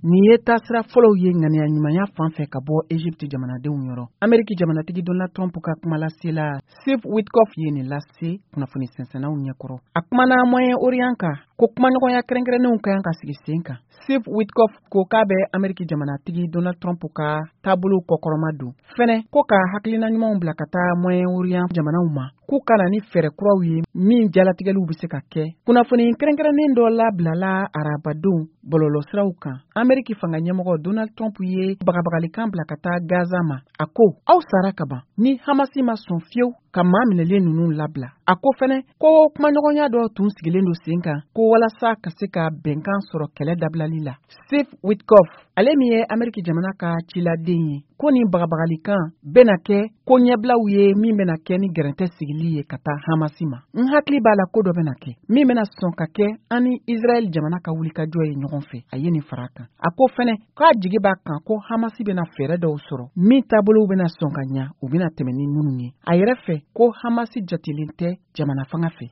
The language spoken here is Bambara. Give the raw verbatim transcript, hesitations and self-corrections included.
Nin ye taasira fɔlɔw ye ŋaniya ɲumanya fan fɛ ka bɔ Egypte jamanadenw yɔrɔ. Ameriki jamanatigi Donald Trump ka kumalasela Steve Witkoff ye nin lase kunnafoni sɛnsɛnnaw ɲɛkɔrɔ. A kumana Moyen-Orient kan ko kumaɲɔgɔnya kɛrɛnkɛrɛnnenw ka kan ka sigi sen kan. Steve Witkoff ko k'a bɛ Ameriki jamanatigi Donald Trump ka taabolo kɔkɔrɔma don fɛnɛ, ko ka hakilina ɲumanw bila ka taa Moyen-Orient jamanaw ma, k'u ka na ni fɛɛrɛ kuraw ye min jalatigɛliw bɛ se ka kɛ. Kunnafoni kɛrɛnkɛrɛnnen dɔ labilala arabadon bɔlɔlɔsiraw kan. Ameriki fanga ɲɛmɔgɔ Donald Trump ye bagabagalikan bila ka taa Gaza ma. A ko aw sara ka ban ni Hamasi ma sɔn fiyewu ka maa minɛlen ninnu labila. A ko fɛnɛ ko kumaɲɔgɔnya dɔ tun sigilen don sen kan ko walasa ka se ka bɛnkan sɔrɔ kɛlɛ dabilali la. Steve Witkoff, ale min ye Ameriki jamana ka ciladen ye, ko nin bagabagalikan bɛna kɛ ko ɲɛbilaw ye min bɛna kɛ ni gɛrɛntɛ sigili ye ka taa Hamasi ma. N hakili b'a la ko dɔ bɛna kɛ min bɛna sɔn ka kɛ an ni Israɛl jamana ka wulikajɔ ye ɲɔgɔn fɛ. A ye nin fara kan. A ko fɛnɛ k'a jigi b'a kan ko Hamasi bɛna fɛɛrɛ dɔw sɔrɔ min taabolow bɛna sɔn ka ɲa, u bɛna tɛmɛ ni minnu ye. A yɛrɛ fɛ ko Hamasi jatelen tɛ jamana fanga fɛ.